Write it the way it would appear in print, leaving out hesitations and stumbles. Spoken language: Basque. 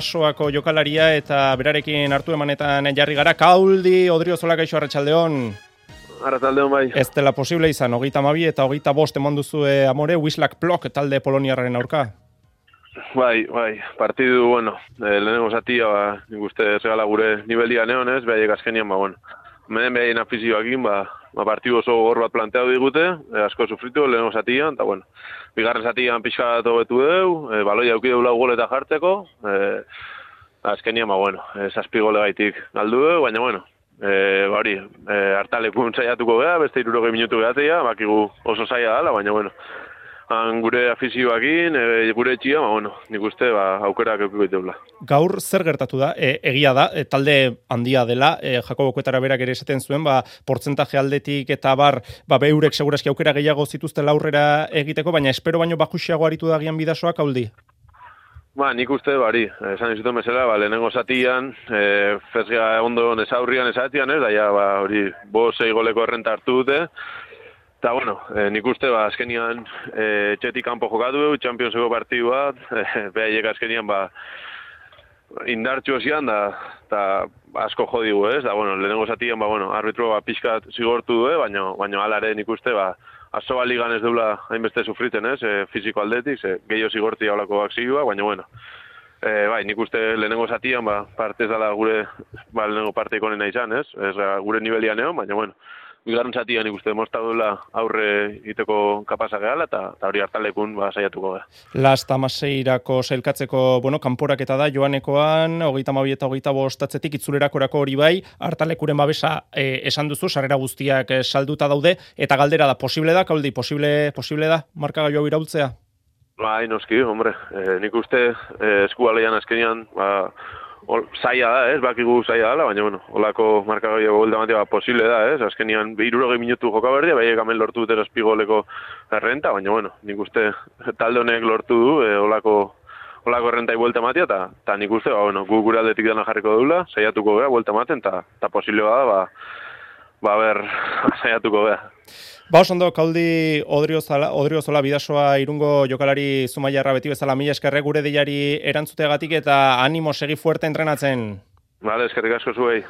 Soako jokalaria eta berarekin hartu emanetan jarri gara. Kauldi, Odriozola, kaixo, arratsaldeon. Arratsaldeon bai. Ez dela posible izan, 22 eta 25 eman duzue Amore, Wisłak Plock talde poloniarraren aurka. Bai, partidu, lehenengo zatia, nik uste regala gure niveldia neonez, behaiek azkenian, menen behaien afizioakin, partidu oso gogor bat planteatu digute, asko sufritu, lehenengo zatian, eta bigarren zatian pixka hobetu deu, baloia auki deula goleta jartzeko, azkenian, zazpi gole gaitik galdu deu, baina, hartalekun saiatuko geha, beste 60 minutu gehatea, bakigu oso zaila dala, baina, gure afizioakin, gure etxia, nik uste aukerak eukiko iteula. Gaur zer gertatu da? Egia da, talde handia dela, Jakobo Kuetara berak ere esaten zuen, portzentaje aldetik eta beurek segurazki aukera gehiago zituzten aurrera egiteko, baina espero baino bajuxiago aritu da gian Bidasoak, Kauldi? Nik uste, esan izuten bezala, lehenengo zatian, fezga ondo nesaurrian esatian, daia, hori, 5-6 goleko errenta hartu dute, eta, nik uste, azkenian txetik kanpo jokatu, Championseko partidu bat, behaiek azkenian, indartxu zian, eta asko jodigu, ez? Da, lehenengo zatian, arbitro pixkat zigortu du, baina alare nik uste, aso ligan ez deula hainbeste sufriten, ez? Fiziko aldetik, gehiago zigortia olako akzioa, baina, nik uste lehenengo zatian, partez dala gure, lehenengo parteiko nena izan, ez? Gure nivelian egon, baina, bigarren zatian ikuste demostra duela aurre iteko kapasa gehala eta hori hartalekun saiatuko geha. Lasta Maseirako sailkatzeko, kanporaketa da Joanekoan, 32 eta 25 itzulerakorako hori bai, hartalekuren babesa esan duzu, sarrera guztiak salduta daude, eta galdera da, posible da, Kauldi, posible da, markagailu hau iraultzea? Bai, noski, nik uste eskualeian azkenian, zaila da, bakigu zaila dela, baina, holako markagailua golda matea posible da, azkenian 60 minutu joka berdia, behaiek hemen lortu dute zazpigoleko errenta, baina, nik uste talde honek lortu du, holako errentai buelta matea, eta nik uste, gu gure aldetik dana jarriko dula, saiatuko geha, buelta maten, eta posible da, saiatuko geha. Osondo, Kauldi, Odriozola, Bidasoa Irungo jokalari Zumaiarra beti bezala, mila eskerrek gure deiari erantzuteagatik eta animo, segi fuerte entrenatzen. Eskerrik asko zuei.